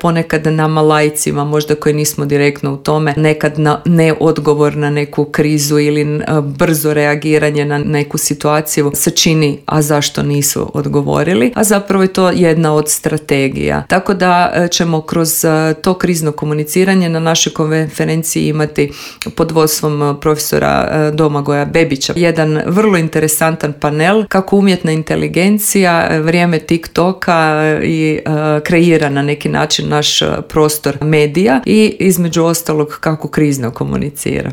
ponekad nama laicima, možda koji nismo direktno u tome, nekad ne odgovor na neku krizu ili brzo reagiranje na neku situaciju se čini, a zašto nisu odgovorili, a zapravo je to jedna od strategija. Tako da ćemo kroz to krizno komuniciranje na našoj konferenciji imati pod vodstvom profesora Domagoja Bebića jedan vrlo interesantan panel kako umjetna inteligencija, vrijeme TikToka i kreira na neki način naš prostor medija i između ostalog kako krizno komunicira.